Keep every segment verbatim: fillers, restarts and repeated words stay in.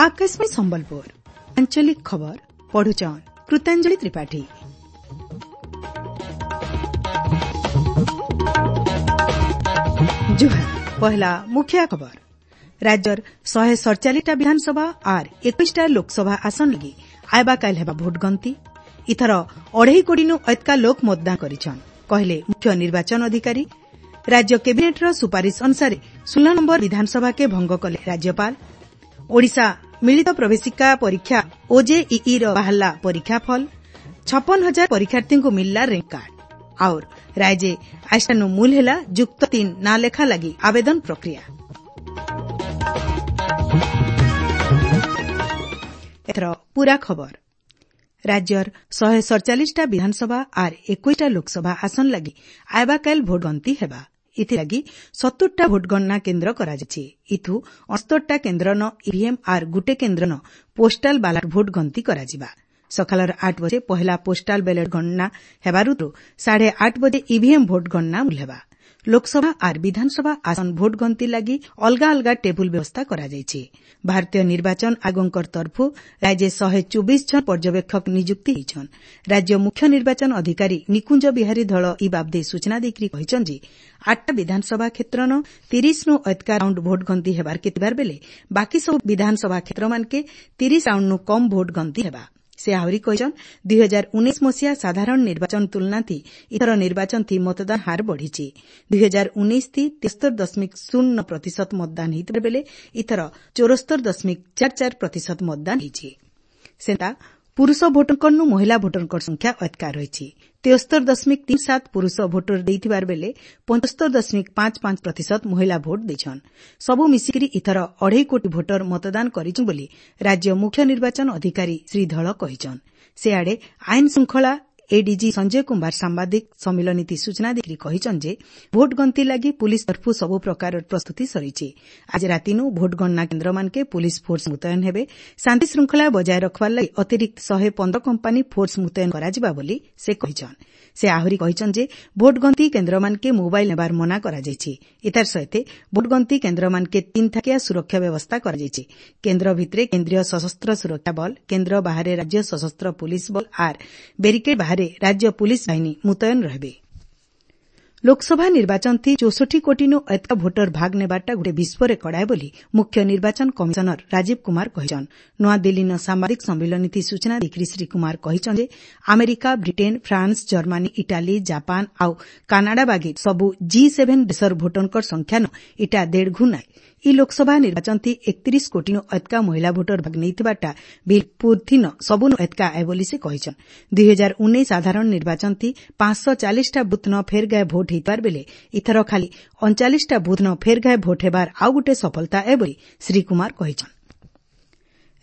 Akashvani Sambalpur ଆଞ୍ଚଳିକ ଖବର ପଢୁଛନ୍ କୃତାଞ୍ଜଳି ତ୍ରିପାଠୀ। ଜୁହାର, ପହଲା ମୁଖ୍ୟ ଖବର। ରାଜ୍ୟର ଶହେ ସଡ଼ଚାଳିଶଟା ବିଧାନସଭା ଆର୍ ଏକୋଇଶଟା ଲୋକସଭା ଆସନ ଲାଗି ଆଇବାକାଲ ହେବା ଭୋଟ ଗଣତି। ଇଥର ଅଢ଼େଇ କୋଟିନୁ ଅଏତକା ଲୋକ ମତଦାନ କରିଛନ୍, କହିଲେ ମୁଖ୍ୟ ନିର୍ବାଚନ ଅଧିକାରୀ। ରାଜ୍ୟ କ୍ୟାବିନେଟ୍ର ସୁପାରିଶ ଅନୁସାରେ ଷୋହଳ ନମ୍ବର ବିଧାନସଭାକେ ଭଙ୍ଗ କଲେ ରାଜ୍ୟପାଳ। ଓଡ଼ିଶା ମିଳିତ ପ୍ରବେଶିକା ପରୀକ୍ଷା ଓଜେଇଇର ବାହାରିଲା ପରୀକ୍ଷାଫଳ। ଛପନ ହଜାର ପରୀକ୍ଷାର୍ଥୀଙ୍କୁ ମିଳିଲା ର୍ୟାଙ୍କ କାର୍ଡ। ଆଉର୍ ରାଇଜେ ଆଇଷ୍ଟାନୁ ମୂଲ ହେଲା ଯୁକ୍ତ ତିନ୍ ନାଁ ଲେଖା ଲାଗି ଆବେଦନ ପ୍ରକ୍ରିୟା। ଏଥର ପୂରା ଖବର। ରାଜ୍ୟର ଶହେ ସଡ଼ଚାଳିଶଟା ବିଧାନସଭା ଆର୍ ଏକୋଇଶଟା ଲୋକସଭା ଆସନ ଲାଗି ଆଇବାକାଲ ଭୋଟ ଗଣତି ହେବା। ଏଥିଲାଗି ସତୁରଟା ଭୋଟଗଣନା କେନ୍ଦ୍ର କରାଯାଇଛି। ଇଥୁ ଅଣସ୍ତରଟା କେନ୍ଦ୍ରନ ଇଭିଏମ୍ ଆର୍ ଗୁଟେ କେନ୍ଦ୍ରନ ପୋଷ୍ଟାଲ ବାଲାଟ ଭୋଟ ଗଣତି କରାଯିବା। ସକାଳର ଆଠ ବଜେ ପହେଲା ପୋଷ୍ଟାଲ ବ୍ୟାଲଟ ଗଣନା ହେବାରୁ ସାଢ଼େ ଆଠ ବଜେ ଇଭିଏମ୍ ଭୋଟ ଗଣନା ମୂଲ ହେବା। ଲୋକସଭା ଆର୍ ବିଧାନସଭା ଆସନ ଭୋଟ ଗଣତି ଲାଗି ଅଲଗା ଅଲଗା ଟେବୁଲ ବ୍ୟବସ୍ଥା କରାଯାଇଛି। ଭାରତୀୟ ନିର୍ବାଚନ ଆୟୋଗଙ୍କର ତରଫୁ ରାଜ୍ୟେ ଶହେ ଚବିଶ ଜଣ ପର୍ଯ୍ୟବେକ୍ଷକ ନିଯୁକ୍ତି ହେଇଛନ୍। ରାଜ୍ୟ ମୁଖ୍ୟ ନିର୍ବାଚନ ଅଧିକାରୀ ନିକୁଞ୍ଜ ବିହାରୀ ଧଳ ଇ ବାବଦେ ସୂଚନା ଦେଇକରି କହିଛନ୍ ଯେ ଆଠଟା ବିଧାନସଭା କ୍ଷେତ୍ରନ ତିରିଶନୁ ଅଏତକା ରାଉଣ୍ଡ ଭୋଟ ଗଣତି ହେବାର କେ ଥିବାର ବେଲେ ବାକି ସବୁ ବିଧାନସଭା କ୍ଷେତ୍ରମାନକେ ତିରିଶ ରାଉଣ୍ଡନୁ କମ୍ ଭୋଟ ଗଣତି ହେବା। ସେ ଆହୁରି କହିଛନ୍, ଦୁଇ ହଜାର ଉଣେଇଶ ମସିହା ସାଧାରଣ ନିର୍ବାଚନ ତୁଳନାଥି ଇଥର ନିର୍ବାଚନଥି ମତଦାନ ହାର ବଢ଼ିଛି। ଦୁଇ ହଜାର ଉଣେଇଶ ଥି ତେସ୍ତର ଦଶମିକ ଶୂନ ନଅ ପ୍ରତିଶତ ମତଦାନ ହେଇଥିବା ବେଲେ ଇଥର ଚଉରସ୍ତର ଦଶମିକ ଚାରି ଚାରି ପ୍ରତିଶତ ମତଦାନ ହେଇଛି। ସେନ୍ତା ପୁରୁଷ ଭୋଟରଙ୍କନୁ ମହିଳା ଭୋଟରଙ୍କର ସଂଖ୍ୟା ଅଏତକା ରହିଛି। ତେସ୍ତର ଦଶମିକ ତିନି ସାତ ପୁରୁଷ ଭୋଟର ଦେଇଥିବାର ବେଲେ ପଞ୍ଚସ୍ତର ଦଶମିକ ପାଞ୍ଚ ପାଞ୍ଚ ପ୍ରତିଶତ ମହିଳା ଭୋଟ ଦେଇଛନ୍। ସବୁ ମିଶିକରି ଇଥର ଅଢ଼େଇ କୋଟି ଭୋଟର ମତଦାନ କରିଛନ୍ ବୋଲି ରାଜ୍ୟ ମୁଖ୍ୟ ନିର୍ବାଚନ ଅଧିକାରୀ ଶ୍ରୀ ଧଳ କହିଛନ୍। ସେଆଡ଼େ ଆଇନ ଶୃଙ୍ଖଳା ଏଡିଜି ସଞ୍ଜୟ କୁମାର ସାମ୍ବାଦିକ ସମ୍ମିଳନୀଥି ସୂଚନା ଦେଇକରି କହିଛନ୍ ଯେ ଭୋଟ ଗଣତି ଲାଗି ପୁଲିସ୍ ତରଫୁ ସବୁ ପ୍ରକାରର ପ୍ରସ୍ତୁତି ସରିଛି। ଆଜି ରାତିନୁ ଭୋଟ ଗଣନା କେନ୍ଦ୍ରମାନକେ ପୁଲିସ୍ ଫୋର୍ସ ମୁତୟନ ହେବେ। ଶାନ୍ତି ଶୃଙ୍ଖଳା ବଜାୟ ରଖବାର ଲାଗି ଅତିରିକ୍ତ ଶହେ ପନ୍ଦର କମ୍ପାନୀ ଫୋର୍ସ ମୁତୟନ କରାଯିବା ବୋଲି ସେ କହିଛନ୍। ସେ ଆହୁରି କହିଛନ୍ ଯେ ଭୋଟ ଗଣତି କେନ୍ଦ୍ରମାନକେ ମୋବାଇଲ ନେବାର ମନା କରାଯାଇଛି। ଏତାର ସହିତ ଭୋଟ ଗଣତି କେନ୍ଦ୍ରମାନକେ ତିନି ଥାକିଆ ସୁରକ୍ଷା ବ୍ୟବସ୍ଥା କରାଯାଇଛି। କେନ୍ଦ୍ର ଭିତରେ କେନ୍ଦ୍ରୀୟ ସଶସ୍ତ୍ର ସୁରକ୍ଷା ବଳ, କେନ୍ଦ୍ର ବାହାରେ ରାଜ୍ୟ ସଶସ୍ତ୍ର ପୁଲିସ୍ ବଳ ଆର୍ ବ୍ୟାରିକେଡ୍ ବାହାରେ ରାଜ୍ୟ ପୁଲିସ୍ ବାହିନୀ ମୁତୟନ ରହେବେ। ଲୋକସଭା ନିର୍ବାଚନଥି ଚଉଷଠି କୋଟିନୁ ଅଏତକା ଭୋଟର ଭାଗ ନେବାରଟା ଗୁଟେ ବିଶ୍ୱ ରେକର୍ଡ ଆଏ ବୋଲି ମୁଖ୍ୟ ନିର୍ବାଚନ କମିଶନର ରାଜୀବ କୁମାର କହିଛନ୍। ନୂଆଦିଲ୍ଲୀନ ସାମ୍ବାଦିକ ସମ୍ମିଳନୀଥି ସୂଚନା ଦେଇକରି ଶ୍ରୀ କୁମାର କହିଛନ୍ ଯେ America, Britain, France, Germany, Italy, Japan ଆଉ କାନାଡା ବାଗି ସବୁ ଜି ସେଭେନ୍ ଦେଶର ଭୋଟରଙ୍କର ସଂଖ୍ୟାନ ଇଟା ଦେଢ଼ ଗୁଣ ଆଏ। ଇ ଲୋକସଭା ନିର୍ବାଚନଥି ଏକତିରିଶ କୋଟିନୁ ଅଏତକା ମହିଳା ଭୋଟର ଭାଗ ନେଇଥିବାରଟା ବିଲ୍ ପୂର୍ଥିନ ସବୁନୁ ଅଏତକା ଆଏ ବୋଲି ସେ କହିଛନ୍। ଦୁଇ ହଜାର ଉଣେଇଶ ସାଧାରଣ ନିର୍ବାଚନଥି ପାଞ୍ଚଶହ ଚାଳିଶଟା ବୁଥ୍ନ ଫେର୍ ଗାଏ ଭୋଟ ହେଇଥିବାର ବେଲେ ଇଥର ଖାଲି ଅଣଚାଳିଶଟା ବୁଥ୍ନ ଫେର୍ ଗାଏ ଭୋଟ ହେବାର ଆଉ ଗୁଟେ ସଫଳତା ଏ ବୋଲି ଶ୍ରୀ କୁମାର କହିଛନ୍।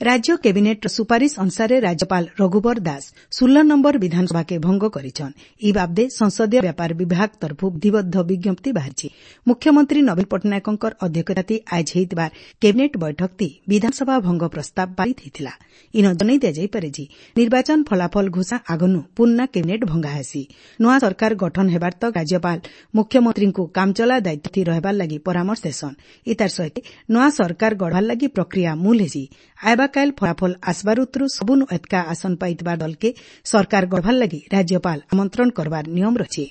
ରାଜ୍ୟ କ୍ୟାବିନେଟ୍ର ସୁପାରିଶ ଅନୁସାରେ ରାଜ୍ୟପାଳ ରଘୁବର ଦାସ ଷୋହଳ ନମ୍ବର ବିଧାନସଭାକେ ଭଙ୍ଗ କରିଛନ୍। ଇ ବାବଦେ ସଂସଦୀୟ ବ୍ୟାପାର ବିଭାଗ ତରଫୁ ବିଧିବଦ୍ଧ ବିଜ୍ଞପ୍ତି ବାହାରିଛି। ମୁଖ୍ୟମନ୍ତ୍ରୀ ନବୀନ ପଟ୍ଟନାୟକଙ୍କର ଅଧ୍ୟକ୍ଷତାଥି ଆଇଜ ହେଇଥିବାର କ୍ୟାବିନେଟ୍ ବୈଠକଥି ବିଧାନସଭା ଭଙ୍ଗ ପ୍ରସ୍ତାବ ପାରିତ ହେଇଥିଲା। ଇନ ଜଣାଇ ଦିଆଯାଇପାରେ ଯେ ନିର୍ବାଚନ ଫଳାଫଳ ଘୋଷଣା ଆଗନୁ ପୁରୁଣା କ୍ୟାବିନେଟ୍ ଭଙ୍ଗା ହେସି। ନୂଆ ସରକାର ଗଠନ ହେବାର ତକ୍ ରାଜ୍ୟପାଳ ମୁଖ୍ୟମନ୍ତ୍ରୀଙ୍କୁ କାମଚଳା ଦାୟିତ୍ୱଥି ରହେବାର ଲାଗି ପରାମର୍ଶ ଦେସନ୍। ଇତାର ସହିତ ନୂଆ ସରକାର ଗଢ଼ବାର ଲାଗି ପ୍ରକ୍ରିୟା ମୂଲ ହେସି। ଆଇବାକାଲ ଫଳାଫଳ ଆସବାର ଉତରୁ ସବୁନୁ ଏତକା ଆସନ ପାଇଥିବା ଦଲକେ ସରକାର ଗଢ଼ବାର ଲାଗି ରାଜ୍ୟପାଳ ଆମନ୍ତ୍ରଣ କରବାର ନିୟମ ରହିଛି।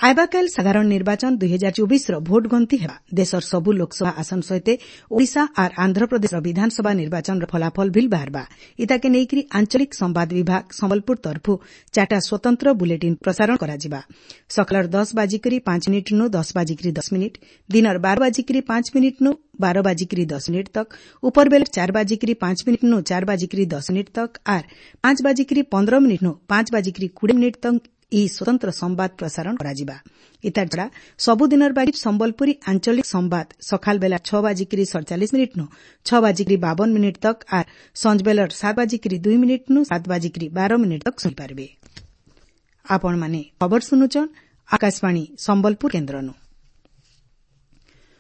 ଆଇବାକାଲ ସାଧାରଣ ନିର୍ବାଚନ ଦୁଇ ହଜାର ଚବିଶର ଭୋଟ ଗଣତି ହେବା। ଦେଶର ସବୁ ଲୋକସଭା ଆସନ ସହିତ ଓଡ଼ିଶା ଆର୍ ଆନ୍ଧ୍ରପ୍ରଦେଶର ବିଧାନସଭା ନିର୍ବାଚନର ଫଳାଫଳ ଭିଲ୍ ବାହାରବା। ଇତାକେ ନେଇକରି ଆଞ୍ଚଳିକ ସମ୍ବାଦ ବିଭାଗ ସମ୍ବଲପୁର ତରଫୁ ଚାରିଟା ସ୍ୱତନ୍ତ୍ର ବୁଲେଟିନ୍ ପ୍ରସାରଣ କରାଯିବା। ସକାଳର ଦଶ ବାଜିକରି ପାଞ୍ଚ ମିନିଟ୍ନୁ ଦଶ ବାଜିକରି ଦଶ ମିନିଟ୍, ଦିନର ବାର ବାଜିକରି ପାଞ୍ଚ ମିନିଟ୍ନୁ ବାର ବାଜିକରି ଦଶ ମିନିଟ୍ ତକ୍, ଉପରବେଲା ଚାର ବାଜିକରି ପାଞ୍ଚ ମିନିଟ୍ନୁ ଚାର ବାଜିକରି ଦଶ ମିନିଟ୍ ତକ୍ ଆର୍ ପାଞ୍ଚ ବାଜିକରି ପନ୍ଦର ମିନିଟ୍ନୁ ପାଞ୍ଚ ବାଜିକରି କୋଡ଼ିଏ ମିନିଟ୍ ତକ୍ ଇ ସ୍ୱତନ୍ତ୍ର ସମ୍ବାଦ ପ୍ରସାରଣ କରାଯିବା। ଇତାର ଛଡ଼ା ସବୁଦିନର ବାଗି ସମ୍ବଲପୁରୀ ଆଞ୍ଚଳିକ ସମ୍ବାଦ ସକାଳ ବେଲା ଛଅ ବାଜିକରି ସଡ଼ଚାଳିଶ ମିନିଟ୍ନୁ ଛଅ ବାଜିକରି ବାବନ ମିନିଟ୍ ତକ୍ ଆର୍ ସଞ୍ଜ ବେଲର ସାତ ବାଜିକରି ଦୁଇ ମିନିଟ୍ନୁ ସାତ ବାଜିକରି ବାର ମିନିଟ୍ ତକ୍ ଶୁଣିପାରିବେ। ଆପଣମାନେ ଖବର ଶୁନୁଛନ୍ ଆକାଶବାଣୀ ସମ୍ବଲପୁର କେନ୍ଦ୍ରନୁ।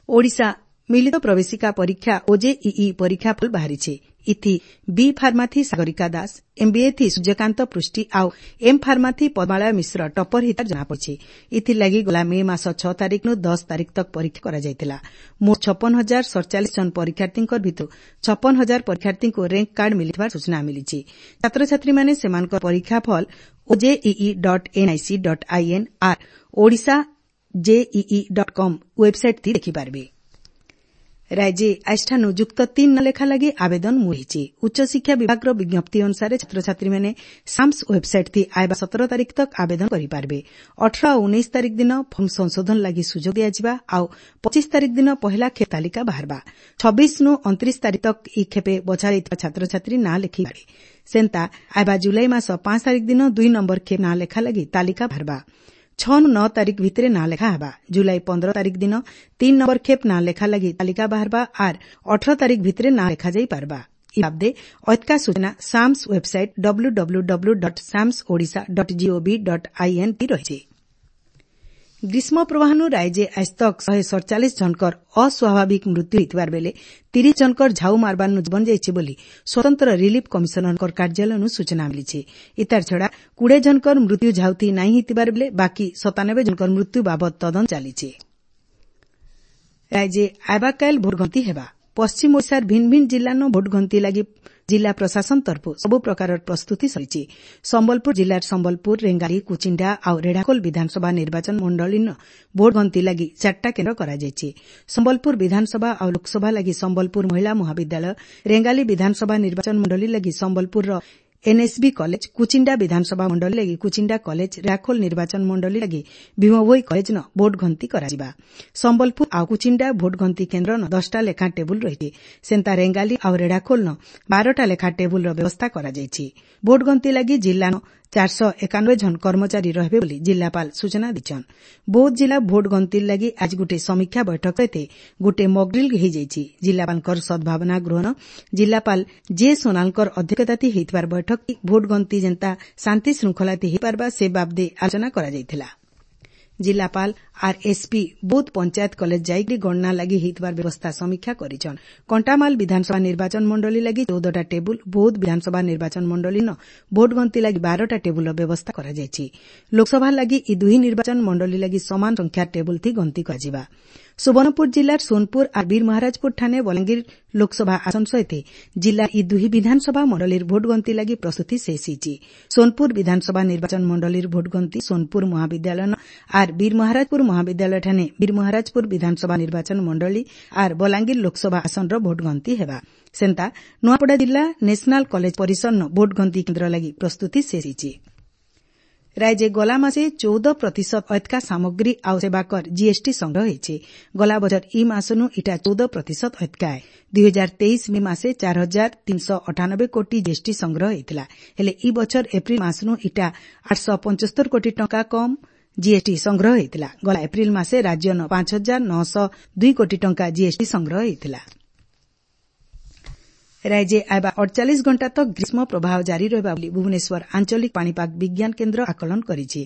ଓଡ଼ିଶା ମିଳିତ ପ୍ରବେଶିକା ପରୀକ୍ଷା ଓଜେଇଇ ପରୀକ୍ଷାଫଳ ବାହାରିଛି। ଇଥି ବି ଫାର୍ମାଥି ସାଗରିକା ଦାସ, ଏମ୍ବିଏ ଥି ସୂର୍ଯ୍ୟକାନ୍ତ ପୃଷ୍ଟି ଆଉ ଏମ୍ ଫାର୍ମାଥି ପଦ୍ମାଳୟ ମିଶ୍ର ଟପର ହେଇଥିବାର ଜଣାପଡ଼ିଛି। ଇଥିର୍ଲାଗି ଗଲା ମେ ମାସ ଛଅ ତାରିଖନୁ ଦଶ ତାରିଖ ତକ୍ ପରୀକ୍ଷା କରାଯାଇଥିଲା। ମୋଟ ଛପନ ହଜାର ସତଚାଳିଶ ଜଣ ପରୀକ୍ଷାର୍ଥୀଙ୍କ ଭିତରୁ ଛପନ ହଜାର ପରୀକ୍ଷାର୍ଥୀଙ୍କୁ ର୍ୟାଙ୍କ କାର୍ଡ ମିଳିଥିବାର ସୂଚନା ମିଳିଛି। ଛାତ୍ରଛାତ୍ରୀମାନେ ସେମାନଙ୍କର ପରୀକ୍ଷାଫଳ OJEE dot NIC dot IN R Odisha JEE dot com website ଥି ଦେଖିପାରବେ। ରାଜ୍ୟେ ଆଜିଠାନୁ ଯୁକ୍ତ ତିନ୍ ନାଁ ଲେଖା ଲାଗି ଆବେଦନ ମୁଲ୍ ହେଇଛେ। ଉଚ୍ଚଶିକ୍ଷା ବିଭାଗର ବିଜ୍ଞପ୍ତି ଅନୁସାରେ ଛାତ୍ରଛାତ୍ରୀମାନେ ସାମ୍ସ ୱେବ୍ସାଇଟ୍ ଥି ଆଏବା ସତର ତାରିଖ ତକ୍ ଆବେଦନ କରିପାରବେ। ଅଠର ଆଉ ଉଣେଇଶ ତାରିଖ ଦିନ ଫର୍ମ ସଂଶୋଧନ ଲାଗି ସୁଯୋଗ ଦିଆଯିବା ଆଉ ପଚିଶ ତାରିଖ ଦିନ ପହେଲା ଖେପ୍ ତାଲିକା ବାହାରବା। ଛବିଶ ନୁ ଅଣତିରିଶ ତାରିଖ ତକ୍ ଇ ଖେପେ ବଛାଯାଇଥିବା ଛାତ୍ରଛାତ୍ରୀ ନାଁ ଲେଖିପାରବେ। ସେନ୍ତା ଆଏବା ଜୁଲାଇ ମାସ ପାଞ୍ଚ ତାରିଖ ଦିନ ଦୁଇ ନମ୍ବର ଖେପ୍ ନାଁ ଲେଖା ଲାଗି ତାଲିକା ବାହାରବା। ଛଅ ନୁ ନଅ ତାରିଖ ଭିତରେ ନାଁ ଲେଖା ହେବା। ଜୁଲାଇ ପନ୍ଦର ତାରିଖ ଦିନ ତିନ୍ ନମ୍ବର ଖେପ୍ ନାଁ ଲେଖା ଲାଗି ତାଲିକା ବାହାରବା ଆର୍ ଅଠର ତାରିଖ ଭିତରେ ନାଁ ଲେଖାଯାଇପାରବା। ଇ ବାବଦେ ଅଧ୍କା ସୂଚନା SAMS website W W W dot SAMS Odisha dot GOV dot IN ଥି ରହିଛେ। ଗ୍ରୀଷ୍ମ ପ୍ରବାହନୁ ରାଇଜେ ଆଜତକ୍ ଶହେ ସତଚାଳିଶ ଜଣଙ୍କର ଅସ୍ୱାଭାବିକ ମୃତ୍ୟୁ ହୋଇଥିବାର ବେଲେ ତିରିଶ ଜଣଙ୍କର ଝାଉ ମାରବାରନୁ ଜୀବନ ଯାଇଛି ବୋଲି ସ୍ୱତନ୍ତ୍ର ରିଲିଫ କମିଶନରଙ୍କ କାର୍ଯ୍ୟାଳୟନୁ ସୂଚନା ମିଳିଛି। ଇତାର ଛଡ଼ା କୁଡ଼େ ଜଣଙ୍କର ମୃତ୍ୟୁ ଝାଉଥି ନାଇଁ ହେଇଥିବାର ବେଲେ ବାକି ସତାନବେ ଜଣଙ୍କର ମୃତ୍ୟୁ ବାବଦ ତଦନ୍ତ ଚାଲିଛି। ରାଇଜେ ଆଏବାକାଏଲ୍ ଭୋଟଗଣତି ହେବା। ପଶ୍ଚିମ ଓଡ଼ିଶାର ଭିନ୍ ଭିନ୍ ଜିଲ୍ଲାନ ଭୋଟଗଣତି ଲାଗି ଜିଲ୍ଲା ପ୍ରଶାସନ ତରଫୁ ସବୁ ପ୍ରକାରର ପ୍ରସ୍ତୁତି ସରିଛି। ସମ୍ବଲପୁର ଜିଲ୍ଲାର ସମ୍ବଲପୁର, ରେଙ୍ଗାଲି, କୁଚିଣ୍ଡା ଆଉ ରେଢ଼ାଖୋଲ ବିଧାନସଭା ନିର୍ବାଚନ ମଣ୍ଡଳୀନ ଭୋଟଗଣତି ଲାଗି ଚାରିଟା କେନ୍ଦ୍ର କରାଯାଇଛି। ସମ୍ବଲପୁର ବିଧାନସଭା ଆଉ ଲୋକସଭା ଲାଗି ସମ୍ବଲପୁର ମହିଳା ମହାବିଦ୍ୟାଳୟ, ରେଙ୍ଗାଲି ବିଧାନସଭା ନିର୍ବାଚନ ମଣ୍ଡଳୀ ଲାଗି ସମ୍ବଲପୁରର ଏନ୍ଏସ୍ବି କଲେଜ, କୁଚିଣ୍ଡା ବିଧାନସଭା ମଣ୍ଡଳୀ ଲାଗି କୁଚିଣ୍ଡା କଲେଜ, ରେଢ଼ାଖୋଲ ନିର୍ବାଚନ ମଣ୍ଡଳୀ ଲାଗି ଭୀମଭୋଇ କଲେଜନ ଭୋଟଗଣତି କରାଯିବା। ସମ୍ବଲପୁର ଆଉ କୁଚିଣ୍ଡା ଭୋଟଗଣତି କେନ୍ଦ୍ରନ ଦଶଟା ଲେଖାଁ ଟେବୁଲ ରହିଛି। ସେନ୍ତା ରେଙ୍ଗାଲି ଆଉ ରେଢ଼ାଖୋଲନ ବାରଟା ଲେଖା ଟେବୁଲର ବ୍ୟବସ୍ଥା କରାଯାଇଛି। ଭୋଟଗଣତି ଲାଗି ଜିଲ୍ଲାନ ଚାରିଶହ ଏକାନବେ ଜଣ କର୍ମଚାରୀ ରହିବେ ବୋଲି ଜିଲ୍ଲାପାଳ ସୂଚନା ଦେଇଛନ୍। ବୌଦ୍ଧ ଜିଲ୍ଲା ଭୋଟ ଗଣତି ଲାଗି ଆଜି ଗୁଟେ ସମୀକ୍ଷା ବୈଠକ ସହିତ ଗୁଟେ ମକଡ୍ରିଲ୍ ହେଇଯାଇଛି। ଜିଲ୍ଲାପାଳଙ୍କର ସଦ୍ଭାବନା ଗୃହନ ଜିଲ୍ଲାପାଳ ଜେ ସୋନାଲଙ୍କର ଅଧ୍ୟକ୍ଷତାଥି ହେଇଥିବାର ବୈଠକ ଭୋଟ ଗଣତି ଯେନ୍ତା ଶାନ୍ତି ଶୃଙ୍ଖଳାଥି ହେଇପାରବା ସେ ବାବଦେ ଆଲୋଚନା କରାଯାଇଥିଲା। ଜିଲ୍ଲାପାଳ ଆର୍ ଏସ୍ପି ବୌଦ୍ଧ ପଞ୍ଚାୟତ କଲେଜ ଯାଇକରି ଗଣନା ଲାଗି ହେଇଥିବାର ବ୍ୟବସ୍ଥା ସମୀକ୍ଷା କରିଛନ୍। କଣ୍ଟାମାଲ ବିଧାନସଭା ନିର୍ବାଚନ ମଣ୍ଡଳୀ ଲାଗି ଚଉଦଟା ଟେବୁଲ, ବୌଦ୍ଧ ବିଧାନସଭା ନିର୍ବାଚନ ମଣ୍ଡଳୀନ ଭୋଟ ଗଣତି ଲାଗି ବାରଟା ଟେବୁଲର ବ୍ୟବସ୍ଥା କରାଯାଇଛି। ଲୋକସଭା ଲାଗି ଇ ଦୁହି ନିର୍ବାଚନ ମଣ୍ଡଳୀ ଲାଗି ସମାନ ସଂଖ୍ୟାର ଟେବୁଲ ଥି ଗଣତି କରାଯିବା। ସୁବର୍ଣ୍ଣପୁର ଜିଲ୍ଲାର ସୋନପୁର ଆର୍ ବୀରମହାରାଜପୁର ଠାନେ ବଲାଙ୍ଗୀର ଲୋକସଭା ଆସନ ସହିତ ଜିଲ୍ଲା ଇ ଦୁହି ବିଧାନସଭା ମଣ୍ଡଳୀର ଭୋଟ ଗଣତି ଲାଗି ପ୍ରସ୍ତୁତି ଶେଷ ହେଇଛି। ସୋନପୁର ବିଧାନସଭା ନିର୍ବାଚନ ମଣ୍ଡଳୀର ଭୋଟ ଗଣତି ସୋନପୁର ମହାବିଦ୍ୟାଳୟନ ଆର୍ ବୀରମହାରାଜପୁର ମହାବିଦ୍ୟାଳୟ ଠାନେ ବୀରମହାରାଜପୁର ବିଧାନସଭା ନିର୍ବାଚନ ମଣ୍ଡଳୀ ଆର୍ ବଲାଙ୍ଗୀର ଲୋକସଭା ଆସନର ଭୋଟ ଗଣତି ହେବା। ସେନ୍ତା ନୂଆପଡ଼ା ଜିଲ୍ଲା ନ୍ୟାସନାଲ କଲେଜ ପରିସରନ ଭୋଟ ଗଣତି କେନ୍ଦ୍ର ଲାଗି ପ୍ରସ୍ତୁତି ଶେଷ ହେଇଛି। ରାଇଜେ ଗଲା ମାସେ ଚଉଦ ପ୍ରତିଶତ ଅଧ୍କା ସାମଗ୍ରୀ ଆଉ ସେବାକର ଜିଏସ୍ଟି ସଂଗ୍ରହ ହେଇଛେ। ଗଲା ବଛର ଇ ମାସନୁ ଇଟା ଚଉଦ ପ୍ରତିଶତ ଅଧ୍କା ଏ। ଦୁଇ ହଜାର ତେଇଶ ମେ ମାସେ ଚାର ହଜାର ତିନିଶହ ଅଠାନବେ କୋଟି ଜିଏସ୍ଟି ସଂଗ୍ରହ ହେଇଥିଲା। ହେଲେ ଇ ବଛର ଏପ୍ରିଲ ମାସନୁ ଇଟା ଆଠଶହ ପଞ୍ଚସ୍ତର କୋଟି ଟଙ୍କା କମ୍ ଜିଏସ୍ଟି ସଂଗ୍ରହ ହେଇଥିଲା। ଗଲା ଏପ୍ରିଲ ମାସେ ରାଜ୍ୟନ ପାଞ୍ଚ ହଜାର ନଅଶହ ଦୁଇ କୋଟି ଟଙ୍କା ଜିଏସ୍ଟି ସଂଗ୍ରହ ହେଇଥିଲା। ରାଇଜେ ଆଏବା ଅଠଚାଳିଶ ଘଣ୍ଟା ତକ୍ ଗ୍ରୀଷ୍ମ ପ୍ରବାହ ଜାରି ରହିବା ବୋଲି ଭୁବନେଶ୍ୱର ଆଞ୍ଚଳିକ ପାଣିପାଗ ବିଜ୍ଞାନ କେନ୍ଦ୍ର ଆକଳନ କରିଛି।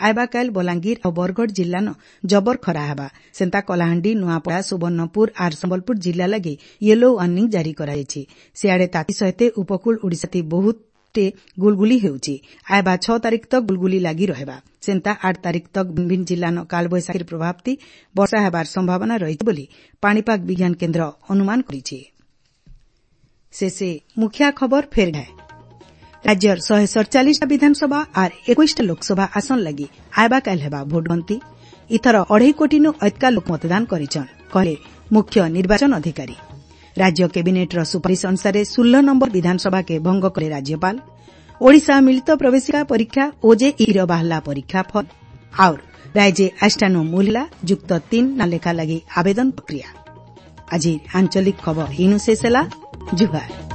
ଆଏବା କାଏଲ୍ ବଲାଙ୍ଗୀର ଆଉ ବରଗଡ଼ ଜିଲ୍ଲାନ ଜବର ଖରା ହେବା। ସେନ୍ତା କଳାହାଣ୍ଡି, ନୂଆପଡ଼ା, ସୁବର୍ଣ୍ଣପୁର ଆର୍ ସମ୍ବଲପୁର ଜିଲ୍ଲା ଲାଗି ୟେଲୋ ୱାର୍ଣ୍ଣିଂ ଜାରି କରାଯାଇଛି। ସିଆଡ଼େ ତାତି ସହିତ ଉପକୂଳ ଓଡ଼ିଶାଥି ବହୁତଟେ ଗୁଳୁଗୁଳି ହେଉଛି। ଆଏବା ଛଅ ତାରିଖ ତକ୍ ଗୁଳୁଗୁଳି ଲାଗି ରହେବା। ସେନ୍ତା ଆଠ ତାରିଖ ତକ୍ ଭିନ୍ ଭିନ୍ ଜିଲ୍ଲାନ କାଳବୈଶାଖୀର ପ୍ରଭାବଥି ବର୍ଷା ହେବାର ସମ୍ଭାବନା ରହିଛି ବୋଲି ପାଣିପାଗ ବିଜ୍ଞାନ କେନ୍ଦ୍ର ଅନୁମାନ କରିଛି। ଶେଷେ ମୁଖିଆ ଖବର ଫେର ଘାଏ। ରାଜ୍ୟର ଶହେ ସତଚାଳିଶଟା ବିଧାନସଭା ଆର୍ ଏକୋଇଶଟା ଲୋକସଭା ଆସନ ଲାଗି ଆଏବା କାଏଲ୍ ହେବା ଭୋଟ ଗଣତି। ଇଥର ଅଢ଼େଇ କୋଟିନୁ ଅଧ୍କା ଲୋକ ମତଦାନ କରିଛନ୍, କହିଲେ ମୁଖ୍ୟ ନିର୍ବାଚନ ଅଧିକାରୀ। ରାଜ୍ୟ କ୍ୟାବିନେଟ୍ର ସୁପାରିଶ ଅନୁସାରେ ଷୋହଳ ନମ୍ବର ବିଧାନସଭାକେ ଭଙ୍ଗ କଲେ ରାଜ୍ୟପାଳ। ଓଡ଼ିଶା ମିଳିତ ପ୍ରବେଶିକା ପରୀକ୍ଷା ଓଜେଇଇର ବାହାରିଲା ପରୀକ୍ଷା ଫଳ। ଆଉର୍ ରାଇଜେ ଆଜିଠାନୁ ମୂଲ୍ ହେଲା ଯୁକ୍ତ ତିନ୍ ନାଁ ଲେଖା ଲାଗି ଆବେଦନ ପ୍ରକ୍ରିୟା। ଆଜି ଆଞ୍ଚଳିକ ଖବର ଇନୁ ଶେଷ ହେଲା। ଜୁହାର।